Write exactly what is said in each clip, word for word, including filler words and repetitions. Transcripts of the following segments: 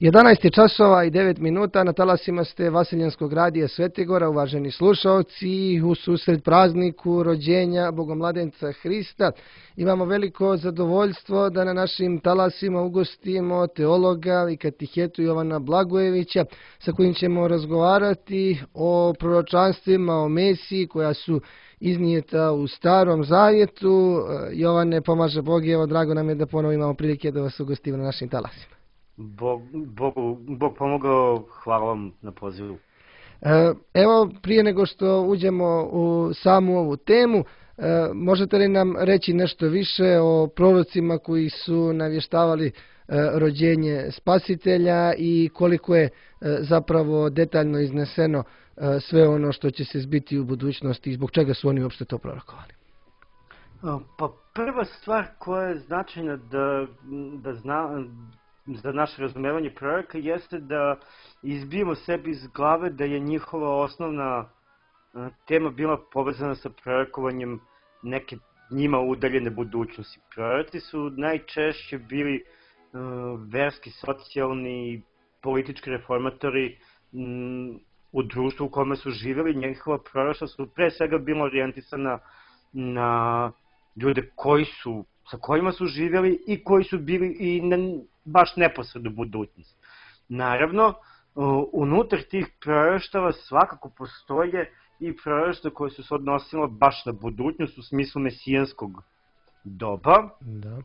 jedanaest je časova i devet minuta, na talasima ste Vaseljenskog radija Svetigora, uvaženi slušalci, u susret prazniku rođenja Bogomladenca Hrista. Imamo veliko zadovoljstvo da na našim talasima ugostimo teologa i katehetu Jovana Blagojevića, sa kojim ćemo razgovarati o proročanstvima, o Mesiji koja su iznijeta u Starom Zavjetu. Jovane, pomaže Bog i evo, drago nam je da ponovo imamo prilike da vas ugostimo na našim talasima. Bog, Bogu, Bog pomogao, hvala vam na pozivu. Evo, prije nego što uđemo u samu ovu temu, možete li nam reći nešto više o prorocima koji su navještavali rođenje Spasitelja i koliko je zapravo detaljno izneseno sve ono što će se zbiti u budućnosti i zbog čega su oni uopšte to prorokovali? Pa prva stvar koja je značajna da, da zna, za naše razumevanje proroka jeste da izbijemo sebi iz glave da je njihova osnovna tema bila povezana sa prorokovanjem neke njima udaljene budućnosti. Proroci su najčešće bili uh, verski, socijalni, politički reformatori um, u društvu u kome su živjeli. Njihova proroštva su pre svega bila orijentisana na ljude koji su, sa kojima su živjeli i koji su bili i na baš neposrednu budućnost. Naravno, unutar tih proroštava svakako postoje i proroštva koje su se odnosila baš na budućnost u smislu mesijanskog doba. Da.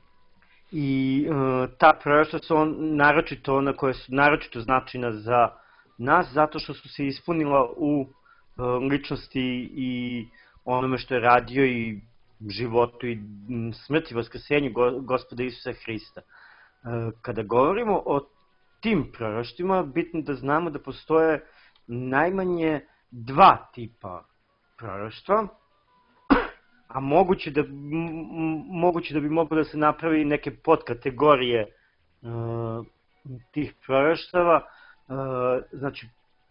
I uh, ta proroštva su on, naročito ona koja su naročito značajna za nas zato što su se ispunila u uh, ličnosti i onome što je radio i životu i smrti, vaskrsenju Gospoda Isusa Hrista. Kada govorimo o tim proroštvima, bitno da znamo da postoje najmanje dva tipa proroštva, a moguće da, moguće da bi moglo da se napravi neke podkategorije uh, tih proroštava. Uh, znači,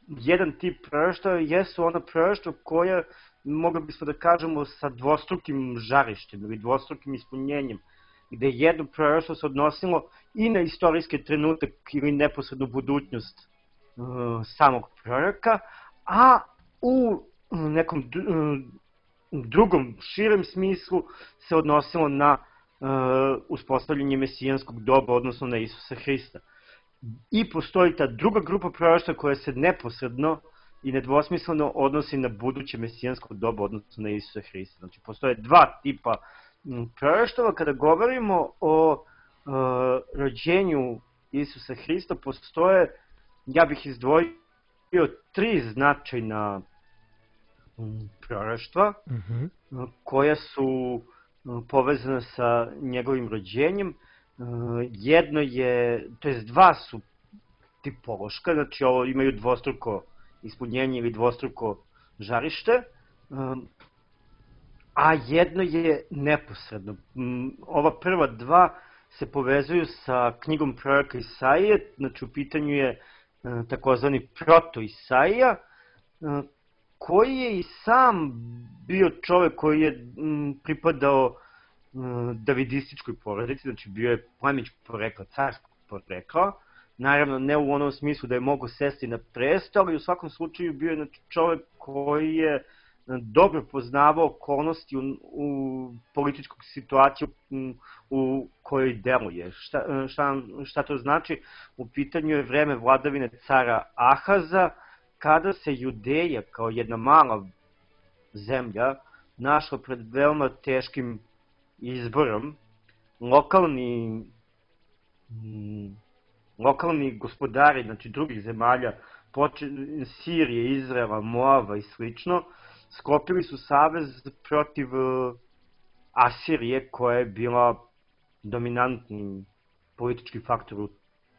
jedan tip proroštava jesu ona proroštva koja, mogli bismo da kažemo, sa dvostrukim žarištem ili dvostrukim ispunjenjem, gde jedno proroštvo se odnosilo i na istorijski trenutak ili neposrednu budućnost uh, samog proroka, a u nekom drugom, širem smislu se odnosilo na uh, uspostavljanje mesijanskog doba, odnosno na Isusa Hrista. I postoji ta druga grupa proroštva koja se neposredno i nedvosmisleno odnosi na buduće mesijansko doba, odnosno na Isusa Hrista. Znači, postoje dva tipa proroštava. Kada govorimo o uh, rođenju Isusa Hrista, postoje, ja bih izdvojio tri značajna um, proroštva uh-huh. uh, koja su uh, povezana sa njegovim rođenjem. Uh, jedno je, to jest dva su tipološka, znači ovo imaju dvostruko ispunjenje ili dvostruko žarište, um, a jedno je neposredno. Ova prva dva se povezuju sa knjigom proroka Isaije, znači u pitanju je takozvani proto-Isaija, koji je i sam bio čovek koji je pripadao davidističkoj porodici, znači bio je plemićkog porekla, carskog porekla, naravno ne u onom smislu da je mogo sesti na presto, ali u svakom slučaju bio je znači, čovek koji je dobro poznavao okolnosti u, u političku situaciju u, u kojoj deluje. Šta, šta, šta to znači? U pitanju je vreme vladavine cara Ahaza, kada se Judeja kao jedna mala zemlja našla pred veoma teškim izborom. Lokalni, lokalni gospodari, znači drugih zemalja, poče, Sirije, Izraela, Moava i slično, sklopili su savez protiv Asirije, koja je bila dominantni politički faktor u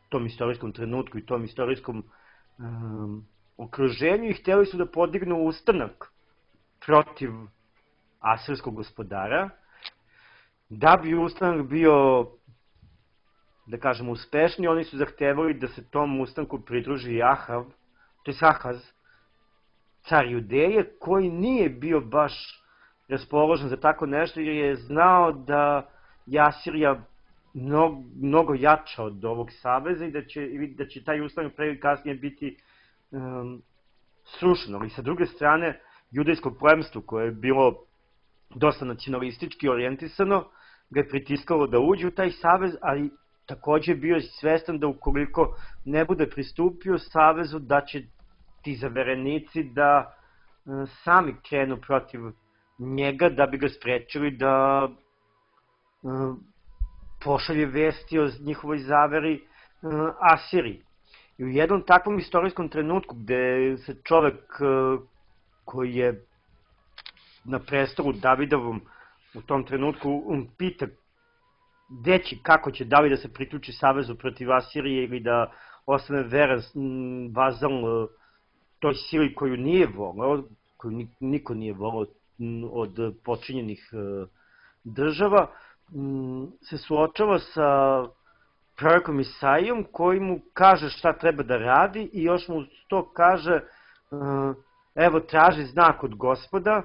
tom istorijskom trenutku i tom istorijskom um, okruženju i htjeli su da podignu ustanak protiv asirskog gospodara. Da bi ustanak bio, da kažemo, uspešni, oni su zahtevali da se tom ustanku pridruži Ahav, to je Ahaz, car Judeje, koji nije bio baš raspoložen za tako nešto, jer je znao da je Asirija mnogo, mnogo jača od ovog saveza i da će, da će taj ustavni pre ili kasnije biti um, srušeno. Ali sa druge strane, judejsko plemstvo koje je bilo dosta nacionalistički orijentisano, ga je pritiskalo da uđe u taj savez, ali takođe bio je svestan da ukoliko ne bude pristupio savezu, da će ti zaverenici da uh, sami krenu protiv njega da bi ga sprečili da uh, pošalje vesti o njihovoj zaveri uh, Asiriji. I u jednom takvom istorijskom trenutku gde se čovek uh, koji je na prestolu Davidovom u tom trenutku um, pita gde će, kako će David da se priključi savezu protiv Asirije ili da ostane veran um, vazal uh, toj sili koju nije voleo, koju niko nije voleo um, od počinjenih uh, država, um, se suočava sa prorokom Isaijom koji mu kaže šta treba da radi i još mu to kaže uh, evo traži znak od Gospoda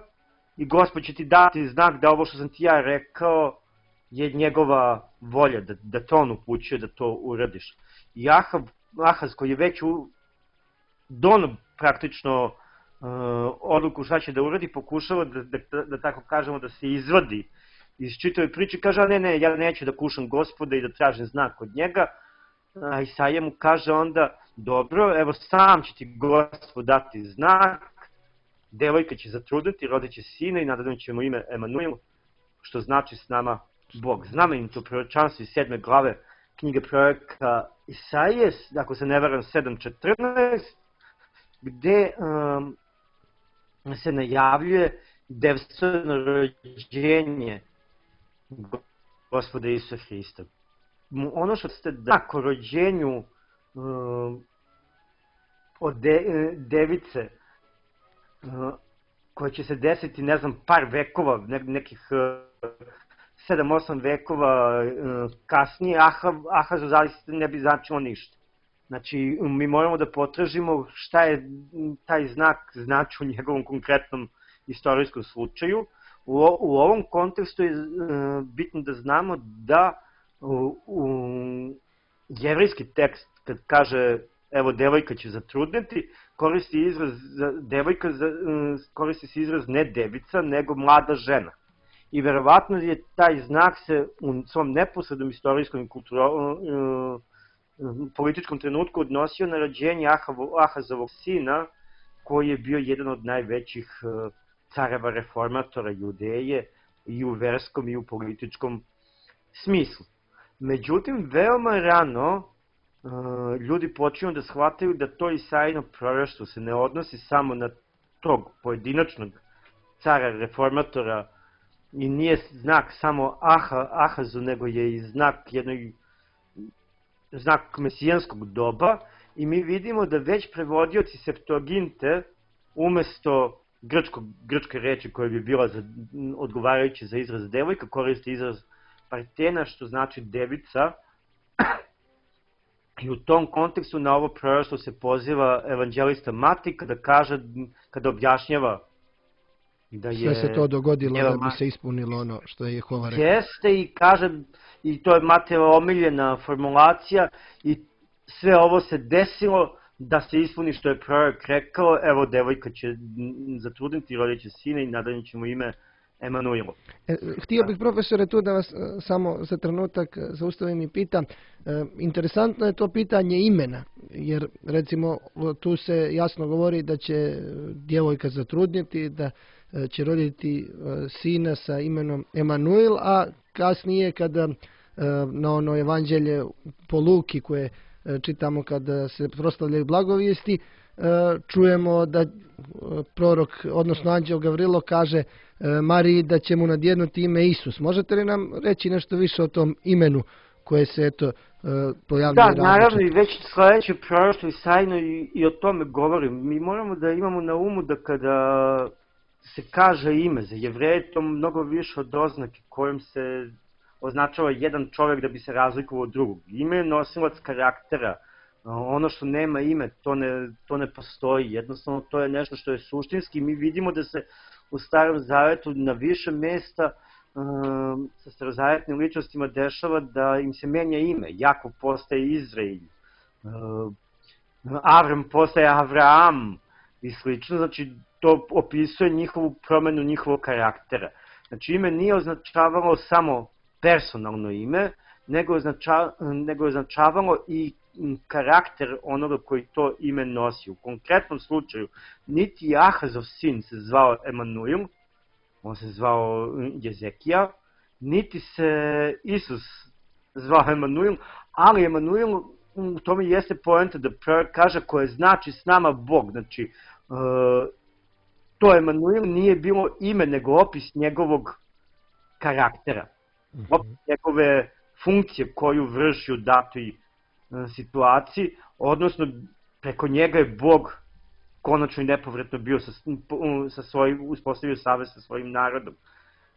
i Gospod će ti dati znak da ovo što sam ti ja rekao je njegova volja, da, da to on upućuje, da to uradiš. I Ahav, Ahaz koji je već u dono praktično uh, odluku šta će da uradi, pokušava da, da, da tako kažemo da se izvadi iz čitave priče, kaže, a ne, ne, ja neću da kušam Gospoda i da tražim znak od njega. A Isaija mu kaže onda, dobro, evo sam će ti Gospod dati znak, devojka će zatrudniti, rodit će sina i nadadno ćemo ime Emanuel, što znači s nama Bog. Znamenito proročanstvo iz sedme glave knjige proroka Isaije, ako se ne varam sedam četrnaest, gde um, se najavljuje devstveno rođenje Gospoda Isusa Hrista. Ono što ste da o rođenju um, od de, device uh, koja će se desiti, ne znam, par vekova, ne, nekih uh, sedam osam vekova uh, kasnije, Ahav, Ahazu zaista ne bi značilo ništa. Znači, mi moramo da potražimo šta je taj znak znači u njegovom konkretnom istorijskom slučaju. U, u ovom kontekstu je uh, bitno da znamo da u, u jevrijski tekst, kad kaže evo devojka će zatrudneti, koristi izraz devojka, koristi se izraz ne devica, nego mlada žena. I verovatno je taj znak se u svom neposrednom istorijskom i kulturalnom političkom trenutku odnosio na rođenje Ahazovog sina, koji je bio jedan od najvećih careva reformatora Judeje i u verskom i u političkom smislu. Međutim, veoma rano ljudi počinju da shvataju da to Isaijino proroštvo se ne odnosi samo na tog pojedinačnog cara reformatora i nije znak samo Aha, Ahazu, nego je i znak jednog znak mesijanskog doba i mi vidimo da već prevodioci Septuaginte umesto grčkog, grčke reči koja bi bila za, odgovarajuća za izraz devojka, koriste izraz partena, što znači devica. I u tom kontekstu na ovo proroštvo se poziva evanđelista Matej kada kaže, kada objašnjava da je... Sve se to dogodilo da bi se ispunilo ono što je Jehova rekao. Jeste i kaže, i to je Matejeva omiljena formulacija, i sve ovo se desilo da se ispuni što je prorok rekao, evo devojka će zatrudniti, rodit će sina i nadalje ćemo ime Emanuilo. E, htio bih, profesore, tu da vas e, samo za trenutak zaustavim i pitam. E, interesantno je to pitanje imena, jer recimo tu se jasno govori da će djevojka zatrudniti, da e, će roditi e, sina sa imenom Emanuil, a kasnije kada e, na ono evanđelje po Luki koje e, čitamo kada se proslavljaju blagovijesti, e, čujemo da e, prorok, odnosno anđeo Gavrilo kaže Mariji da će mu nadjednuti ime Isus. Možete li nam reći nešto više o tom imenu koje se eto pojavljuje? Da, naravno, i već sledeće proroštvo Isaijino i, i o tome govorim. Mi moramo da imamo na umu da kada se kaže ime za Jevreje, to mnogo više od oznake kojom se označava jedan čovjek da bi se razlikovao od drugog. Ime je nosilac karaktera. Ono što nema ime, to ne, to ne postoji. Jednostavno, to je nešto što je suštinski. Mi vidimo da se u Starom Zavetu na više mesta sa starozavetnim ličnostima dešava da im se menja ime. Jakov postaje Izrael, Avram postaje Avraam i slično. Znači, to opisuje njihovu promenu njihovog karaktera. Znači, ime nije označavalo samo personalno ime, nego je, označa, nego je označavalo i karakter onoga koji to ime nosi. U konkretnom slučaju, niti Ahazov sin se zvao Emanuil, on se zvao Jezekija, niti se Isus zvao Emanuil, ali Emanuil, u tome jeste poenta da kaže koje znači s nama Bog. Znači, to Emanuil nije bilo ime, nego opis njegovog karaktera, opis njegove funkcije koju vrši u datoj situaciji, odnosno preko njega je Bog konačno i nepovratno bio sa, sa svojim, uspostavio savez sa svojim narodom.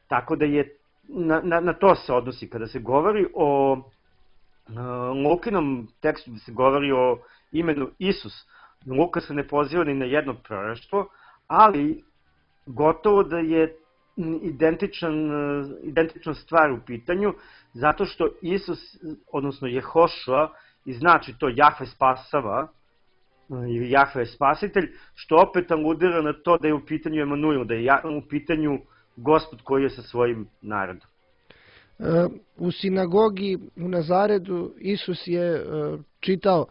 Tako da je, na, na, na to se odnosi. Kada se govori o uh, Lukinom tekstu, da se govori o imenu Isus, Luka se ne poziva ni na jedno proroštvo, ali gotovo da je identičan, identična stvar u pitanju, zato što Isus, odnosno Jehošua, i znači to Jahve spasava, ili Jahve je spasitelj, što opet aludira na to da je u pitanju Emanuil, da je u pitanju Gospod koji je sa svojim narodom. U sinagogi u Nazaretu Isus je čitao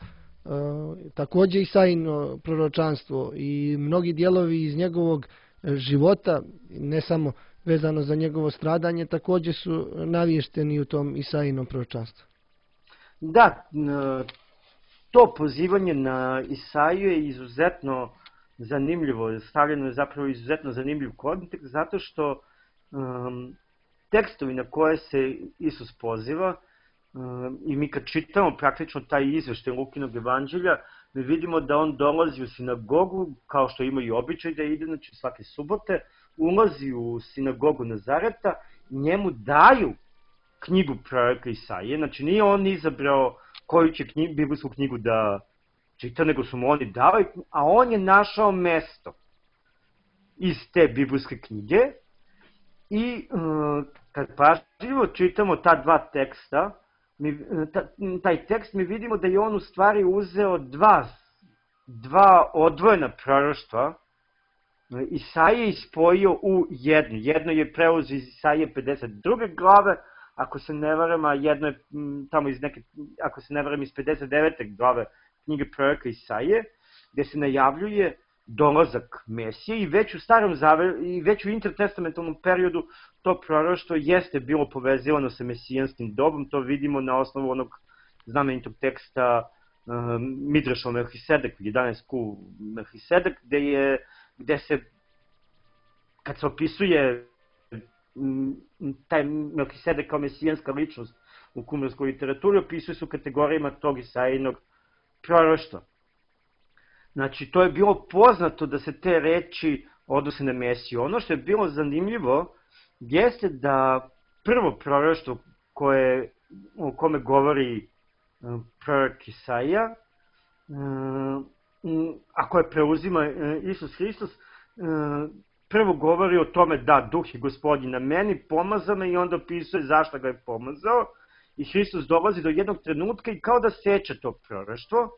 takođe Isaino proročanstvo i mnogi dijelovi iz njegovog života, ne samo vezano za njegovo stradanje, takođe su navješteni u tom Isainom proročanstvu. Da, to pozivanje na Isaiju je izuzetno zanimljivo, stavljeno je zapravo izuzetno zanimljiv kontekst, zato što um, tekstovi na koje se Isus poziva, um, i mi kad čitamo praktično taj izveštaj Lukinog evanđelja, mi vidimo da on dolazi u sinagogu, kao što ima i običaj da ide, znači svake subote, ulazi u sinagogu Nazareta i njemu daju knjigu proroka Isaije. Znači nije on izabrao koju će knjig, biblijsku knjigu da čita, nego su mu oni dali, a on je našao mesto iz te biblijske knjige i uh, kad pažljivo čitamo ta dva teksta, mi, ta, taj tekst mi vidimo da je on u stvari uzeo dva, dva odvojena proroštva, Isaije ispojio u jednu. Jedno je preuzeo iz Isaije pedeset druge glave, ako se ne varam, a jedno je tamo iz neke, ako se ne varam, iz pedeset devete glave knjige proroka Isaije, gde se najavljuje dolazak Mesije i već u starom zavetu i već u intertestamentalnom periodu to proroštvo jeste bilo povezivano sa mesijanskim dobom. To vidimo na osnovu onog znamenitog teksta um, Midraša o Melhisedeku, jedanaest ku Melhisedek, gde je, gde se, kad se opisuje taj Melhisedek kao mesijanska ličnost u kumarskoj literaturi, opisuje su kategorijama tog Isaijinog proroštva. Znači, to je bilo poznato da se te reči odnose na Mesiju. Ono što je bilo zanimljivo jeste da prvo proroštvo koje, o kome govori prorok Isaija, a koje preuzima Isus Hristos, prvo govori o tome da Duh je Gospodin na meni, pomaza me, i onda opisuje zašto ga je pomazao. I Hristos dolazi do jednog trenutka i kao da seče to proroštvo,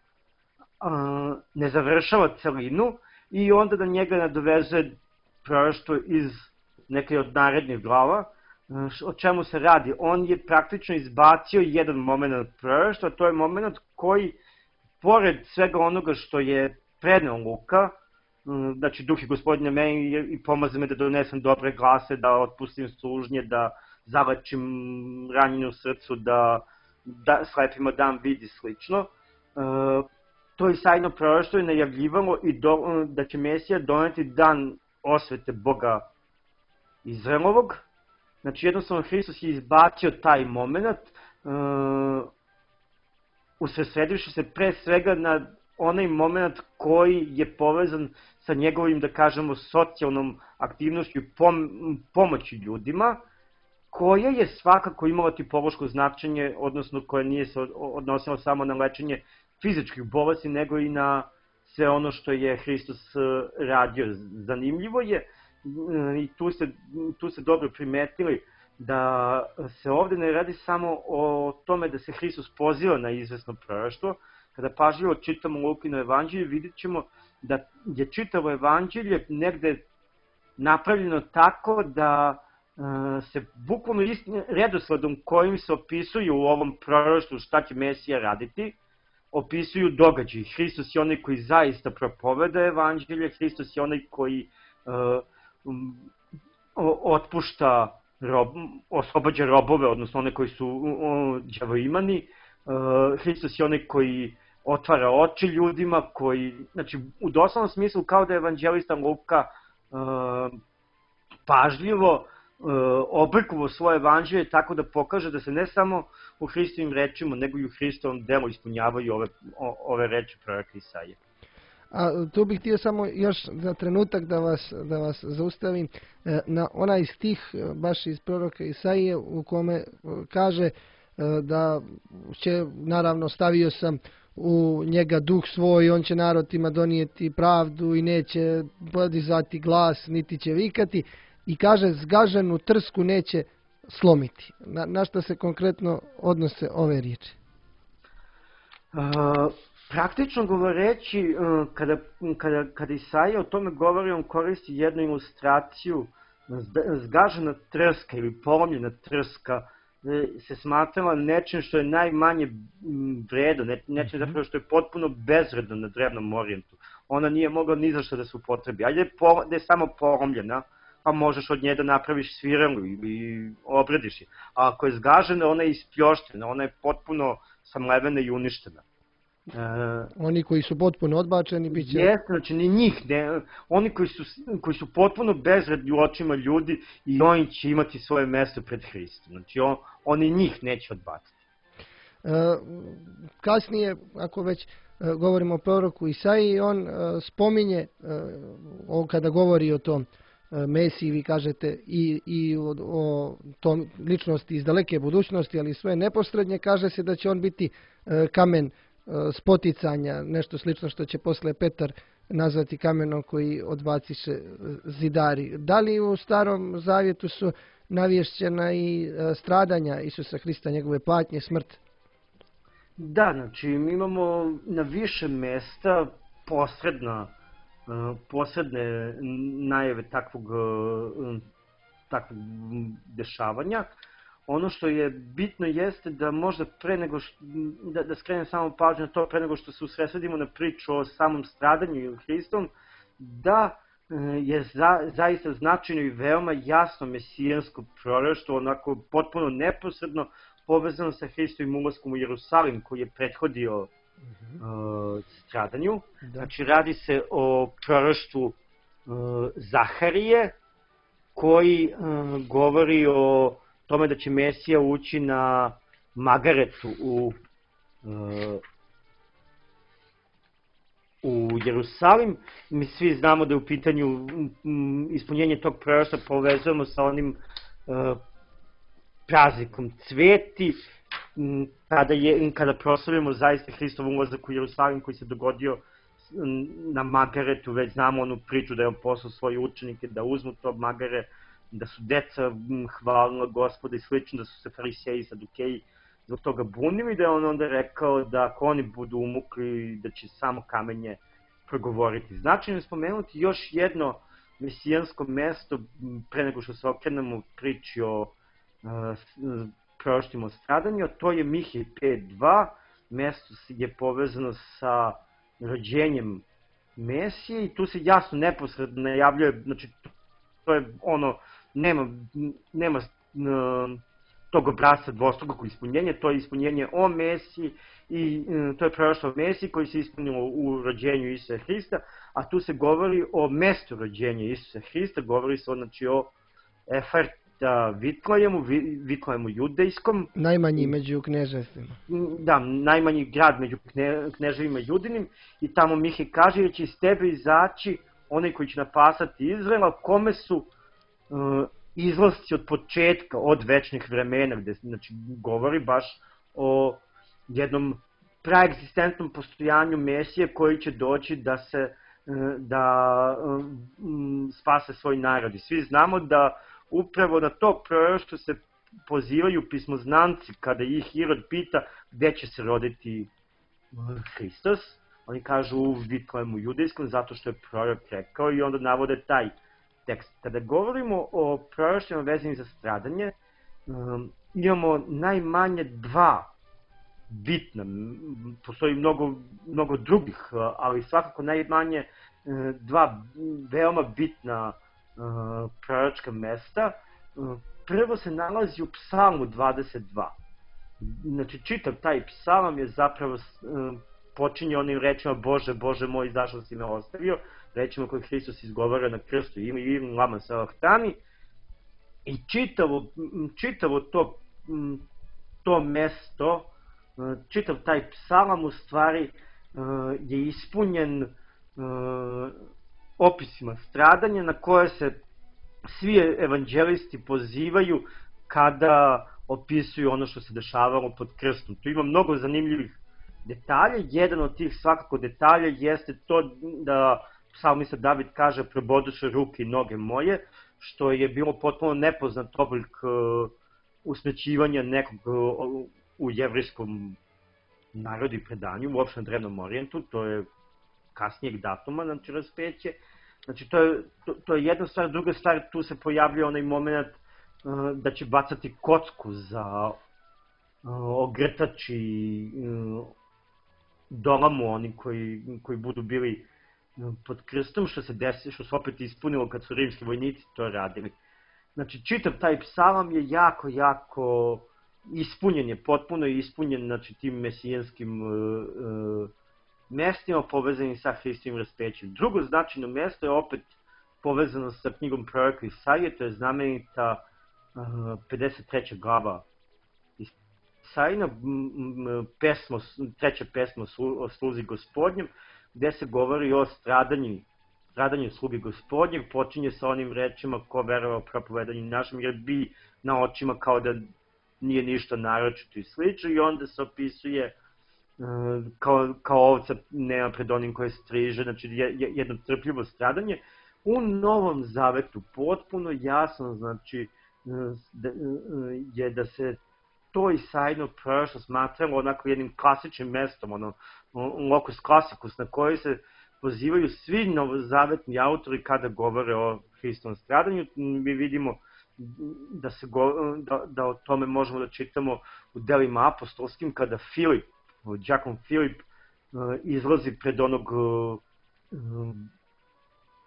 ne završava celinu i onda da njega nadovezuje proroštvo iz neke od narednih glava. O čemu se radi? On je praktično izbacio jedan moment proroštva, to je moment koji, pored svega onoga što je preneo Luka, znači Duh je Gospodin na meni i pomaže me da donesem dobre glase, da otpustim sužnje, da zalečim ranjenje u srcu, da, da slepima dam vid i slično. To Isaijino proroštvo je najavljivalo i do, da će Mesija doneti dan osvete Boga Izraelovog. Znači jednostavno Hristos je izbacio taj moment, uh, usredsredivši se pre svega na onaj moment koji je povezan sa njegovim, da kažemo, socijalnom aktivnošću i pom pomoći ljudima, koja je svakako imala tipološko značenje, odnosno koja nije se odnosila samo na lečenje fizičkih bolesti, nego i na sve ono što je Hristos radio. Zanimljivo je, i tu ste, tu ste dobro primetili, da se ovde ne radi samo o tome da se Hristos poziva na izvesno proroštvo. Kada pažljivo čitamo Lukino evanđelje, vidjet ćemo da je čitavo evanđelje negde napravljeno tako da uh, se bukvalno istim redosledom kojim se opisuju u ovom proroštvu šta će Mesija raditi, opisuju događaji. Hristos je onaj koji zaista propoveda evanđelje, Hristos je onaj koji uh, um, otpušta rob, oslobađa robove, odnosno one koji su uh, đavoimani. Uh, Hristos je onaj koji otvara oči ljudima, koji, znači, u doslovnom smislu kao da je evanđelista Luka uh, pažljivo uh, oblikovao svoje evanđelje tako da pokaže da se ne samo u Hristovim rečima, nego i u Hristovom delu ispunjavaju ove, o, ove reči proroka Isaije. A tu bih htio samo još za trenutak da vas, da vas zaustavim na onaj stih baš iz proroka Isaije u kome kaže da će, naravno stavio sam u njega duh svoj, on će narodima donijeti pravdu i neće podizati glas, niti će vikati, i kaže zgaženu trsku neće slomiti. Na, na što se konkretno odnose ove riječi? Uh, praktično govoreći, uh, kada, kada, kada Isaija o tome govori, on koristi jednu ilustraciju. Zgažena trska ili polomljena trska se smatrala nečim što je najmanje vredno, ne, nečim zapravo što je potpuno bezvredno na drevnom orijentu. Ona nije mogla ni za što da se upotrebi. Ajde po, da je samo polomljena, pa možeš od nje da napraviš svirelu ili obrediš je. A ako je zgažena, ona je ispljoštena, ona je potpuno samlevena i uništena. E, oni koji su potpuno odbačeni bit će... Jeste, znači ni njih, ne, oni koji su, koji su potpuno bezvredni u očima ljudi i oni će imati svoje mesto pred Hristom. Znači on, oni njih neće odbaciti. E, kasnije, ako već e, govorimo o proroku Isaiji, on e, spominje, e, o, kada govori o tom e, Mesiji, vi kažete, i, i o, o tom ličnosti iz daleke budućnosti, ali sve neposrednje, kaže se da će on biti e, kamen spoticanja, nešto slično što će posle Petar nazvati kamenom koji odbaciše zidari. Da li u Starom Zavjetu su navješćena i stradanja Isusa Hrista, njegove patnje, smrt? Da, znači mi imamo na više mesta posredna, posredne najave takvog, takvog dešavanja. Ono što je bitno jeste da možda pre nego što, da, da skrenem samo pažnju na to, pre nego što se usredsredimo na priču o samom stradanju Hristom, da je za, zaista značajno i veoma jasno mesijansko proroštvo, onako potpuno neposredno povezano sa Hristovim ulaskom u Jerusalim koji je prethodio uh-huh. uh, stradanju. Da. Znači radi se o proroštvu uh, Zaharije koji uh, govori o tome da će Mesija ući na Magaretu u, uh, u Jerusalim. Mi svi znamo da je u pitanju um, ispunjenje tog proroštva povezujemo sa onim uh, praznikom Cveti, um, kada, je, kada proslavljamo zaista Hristov ulazak u Jerusalim koji se dogodio um, na Magaretu. Već znamo onu priču da je on poslao svoje učenike da uzmu to Magare, da su deca hvalila Gospoda i slično, da su se fariseji i sadukeji zbog toga bunili, da je on onda rekao da ako oni budu umukli, da će samo kamenje progovoriti. Značajno je spomenuti još jedno mesijansko mesto, pre nego što se okrenemo priči o uh, proroštvima o stradanju, to je Mihej pet dva, mesto je povezano sa rođenjem Mesije i tu se jasno neposredno najavljuje, znači to je ono, nema, nema uh, tog obrasca dvostrukog ispunjenja, to je ispunjenje o Mesiji i uh, to je proroštvo o Mesiji koji se ispunilo u rođenju Isusa Hrista, a tu se govori o mestu rođenja Isusa Hrista, govori se znači o Efarta Vitlejemu, Vitlejemu judejskom. Najmanji među kneževstvima. Da, najmanji grad među kne, kneževima judinim i tamo Mihej kaže da će iz tebe izaći onaj koji će napasati Izraela, kome su uh, izlasci od početka, od večnih vremena, gde znači, govori baš o jednom praegzistentnom postojanju Mesije koji će doći da se uh, da um, spase svoj narod. I svi znamo da upravo na to proroštvo se pozivaju pismoznanci kada ih Irod pita gde će se roditi Hristos. Oni kažu u Vitlehemu judejskom zato što je prorok rekao i onda navode taj tekst. Kada govorimo o proročima vezanim za stradanje, um, imamo najmanje dva bitna, postoji mnogo, mnogo drugih, ali svakako najmanje dva veoma bitna uh, proročka mesta. Uh, prvo se nalazi u Psalmu dvadeset dva. Znači, čitav taj psalam je zapravo uh, počinje onim rečima Bože, Bože moj, zašto si me ostavio, rečima koje Hristos izgovara na krstu, ima i lama salahtani. I čitavo, čitavo to, to mesto, čitav taj psalam u stvari je ispunjen opisima stradanja na koje se svi evanđelisti pozivaju kada opisuju ono što se dešavalo pod krstom. Tu ima mnogo zanimljivih detalja. Jedan od tih svakako detalja jeste to da psalmista David kaže proboduše ruke i noge moje, što je bilo potpuno nepoznat oblik usmrćivanja nekog u jevrijskom narodu i predanju, uopšte na Drevnom Orijentu, to je kasnijeg datuma, znači raspeće. Znači, to je, to, to je jedna stvar. Druga stvar, tu se pojavljuje onaj moment uh, da će bacati kocku za uh, ogrtač i uh, dolamu oni koji, koji budu bili uh, pod krstom, što se desi, što se opet ispunilo kad su rimski vojnici to radili. Znači, čitav taj psalam je jako, jako ispunjen, je potpuno ispunjen, znači, tim mesijanskim uh, uh, mestima povezanim sa Hristovim raspećem. Drugo značajno mesto je opet povezano sa knjigom proroka Isaije, to je znamenita uh, pedeset treća glava Isajina, pesmo, treća pesma o sluzi Gospodnjem, gde se govori o stradanju, stradanju sluge Gospodnjeg, počinje sa onim rečima ko verova propovedanju našem, jer bi na očima kao da nije ništa naročito i slično, i onda se opisuje Kao, kao ovca nema pred onim koje striže, znači jedno trpljivo stradanje. U Novom Zavetu potpuno jasno, znači, da, je da se to Isajino proroštvo smatralo onako jednim klasičnim mestom, ono, locus classicus, na koji se pozivaju svi novozavetni autori kada govore o Hristovom stradanju. Mi vidimo da, se go, da, da o tome možemo da čitamo u delima apostolskim, kada Filip, đakon Filip uh, izlazi pred onog uh,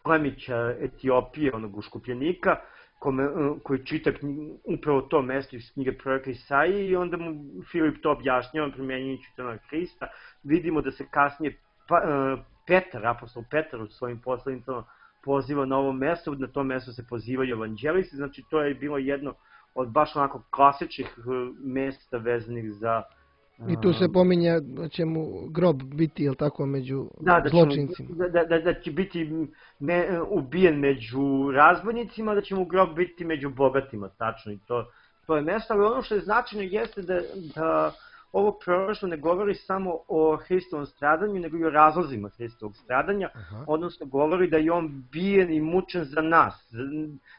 plemića Etiopije, onog uškupljenika, kome, uh, koji čita knjig, upravo to mesto iz knjige proroka Isaije, i onda mu Filip to objašnjava, primjenjujući to na Hrista. Vidimo da se kasnije pa, uh, Petar, apostol Petar u svojim poslanicama poziva na ovo mesto, na to mesto se pozivaju evanđelisti, znači to je bilo jedno od baš onako klasičnih uh, mesta vezanih za I tu se pominje da će mu grob biti, jel tako, među da, da zločincima. Mu, da, da, da će biti me, ubijen među razbojnicima, da će mu grob biti među bogatima, tačno. I to, to je mesto, ali ono što je značajno jeste da, da ovo proroštvo ne govori samo o Hristovom stradanju, nego i o razlozima Hristovog stradanja. Aha. Odnosno govori da je on bijen i mučen za nas,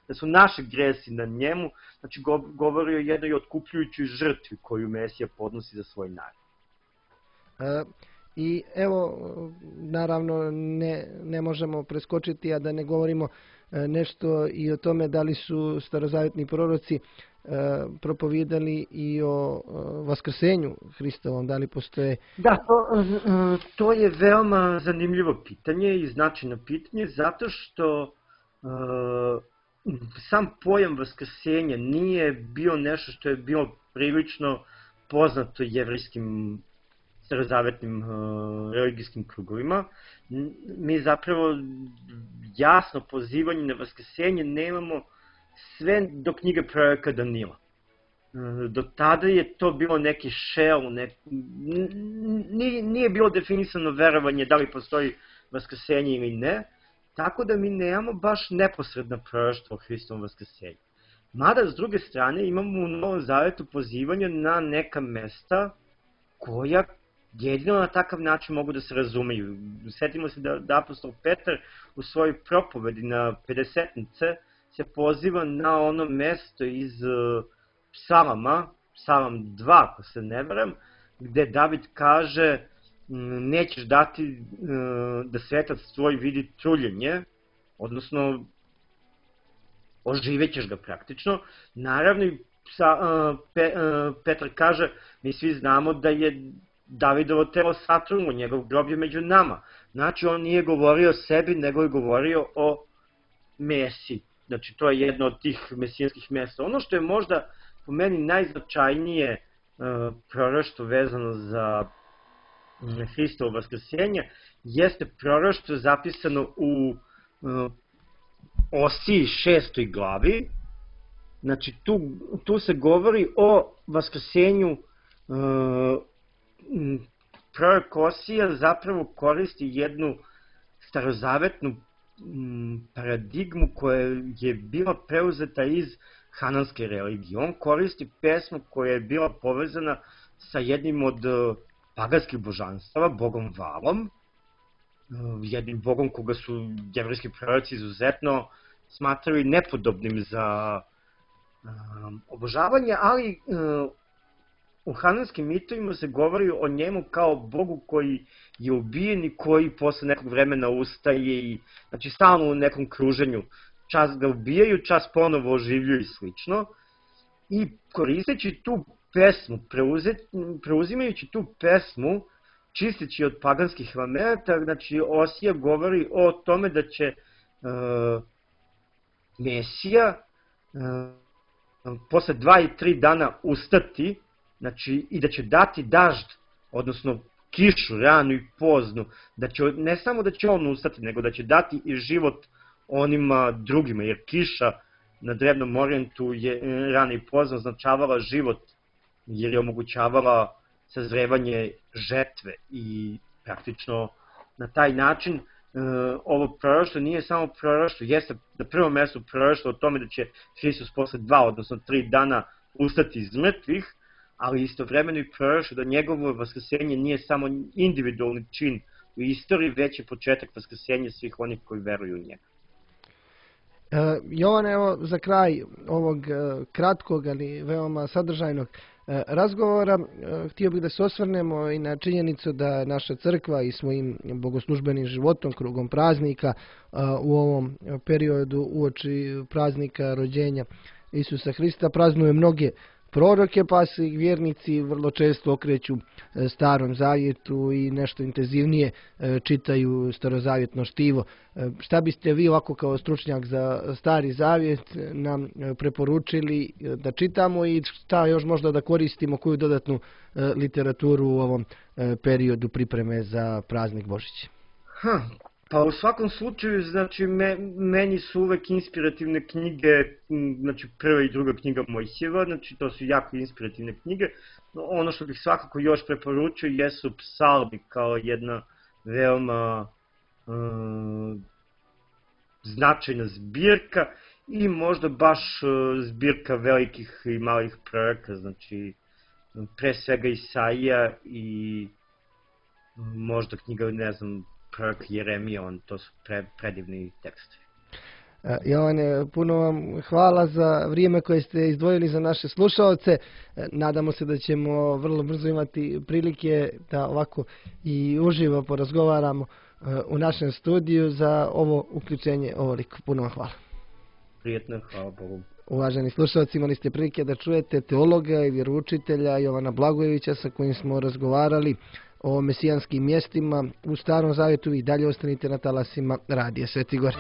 da su naši gresi na njemu, znači govori o jednoj otkupljujućoj žrtvi koju Mesija podnosi za svoj narod. E, I evo, naravno, ne, ne možemo preskočiti, a da ne govorimo nešto i o tome da li su starozavetni proroci propovijedali i o vaskrsenju Hristovom, da li postoje... Da, to, to je veoma zanimljivo pitanje i značajno pitanje, zato što uh, sam pojam vaskrsenja nije bio nešto što je bilo prilično poznato jevrijskim starozavetnim uh, religijskim krugovima. Mi zapravo jasno pozivanje na vaskrsenje nemamo sve do knjige proroka Danila. Do tada je to bilo neki šel, nek... nije bilo definisano verovanje da li postoji vaskrsenje ili ne, tako da mi nemamo baš neposredna proroštva o Hristovom vaskrsenju. Mada, s druge strane, imamo u Novom Zavetu pozivanje na neka mesta koja jedino na takav način mogu da se razumeju. Sjetimo se da, da apostol Petar u svojoj propovedi na pedesetnice se poziva na ono mesto iz psalama, psalam dva, ako se ne varam, gde David kaže nećeš dati da svetac tvoj vidi truljenje, odnosno oživećeš ga praktično. Naravno, Petar kaže, mi svi znamo da je Davidovo telo satrulo, njegov grob je među nama. Znači, on nije govorio o sebi, nego je govorio o Mesiji. Znači, to je jedno od tih mesijanskih mesta. Ono što je možda po meni najznačajnije proroštvo vezano za Hristovo vaskrsenje, jeste proroštvo zapisano u Osiji šestoj glavi. Znači, tu, tu se govori o vaskrsenju. Prorok Osija zapravo koristi jednu starozavetnu paradigmu koja je bila preuzeta iz hananske religije. On koristi pesmu koja je bila povezana sa jednim od paganskih božanstava, bogom Valom, jednim bogom koga su jevrejski proroci izuzetno smatrali nepodobnim za obožavanje, ali u hananskim mitovima se govori o njemu kao bogu koji je ubijen i koji posle nekog vremena ustaje i, znači, stalno u nekom kruženju. Čas ga ubijaju, čas ponovo oživljuju i slično. I koristeći tu pesmu, preuzimajući tu pesmu, čisteći od paganskih elemenata, znači Osija govori o tome da će uh, Mesija uh, posle dva i tri dana ustati, znači, i da će dati dažd, odnosno kišu, ranu i poznu, da će, ne samo da će on ustati, nego da će dati i život onima drugima, jer kiša na drevnom orijentu je rana i pozna označavala život, jer je omogućavala sazrevanje žetve i praktično na taj način ovo proroštvo nije samo proroštvo, jeste na prvom mjestu proroštvo o tome da će Hristos posle dva, odnosno tri dana ustati iz mrtvih, ali istovremeno i proroštvo da njegovo vaskrsenje nije samo individualni čin u istoriji, već je početak vaskrsenja svih onih koji veruju u njega. Uh, Jovan, evo za kraj ovog uh, kratkog, ali veoma sadržajnog uh, razgovora, uh, htio bih da se osvrnemo i na činjenicu da naša crkva i svojim bogoslužbenim životom, krugom praznika uh, u ovom periodu uoči praznika rođenja Isusa Hrista praznuje mnoge proroke, pa se vjernici vrlo često okreću Starom zavjetu i nešto intenzivnije čitaju starozavjetno štivo. Šta biste vi ovako kao stručnjak za Stari zavjet nam preporučili da čitamo i šta još možda da koristimo, koju dodatnu literaturu u ovom periodu pripreme za praznik Božić? Ha, pa u svakom slučaju, znači, me, meni su uvek inspirativne knjige, znači prva i druga knjiga Mojsijeva, znači to su jako inspirativne knjige. Ono što bih svakako još preporučio jesu psalmi kao jedna veoma um, značajna zbirka i možda baš zbirka velikih i malih proroka, znači pre svega Isaija i možda knjiga, ne znam, prorok Jeremija, on, to su pre, predivni tekstovi. Jovane, puno vam hvala za vrijeme koje ste izdvojili za naše slušalce. Nadamo se da ćemo vrlo brzo imati prilike da ovako i uživo porazgovaramo u našem studiju. Za ovo uključenje ovoliko. Puno vam hvala. Prijetno, hvala Bogu. Uvaženi slušalci, imali ste prilike da čujete teologa i vjeroučitelja Jovana Blagojevića sa kojim smo razgovarali o mesijanskim mjestima u Starom zavjetu. I dalje ostanite na talasima Radija Sveti Gor.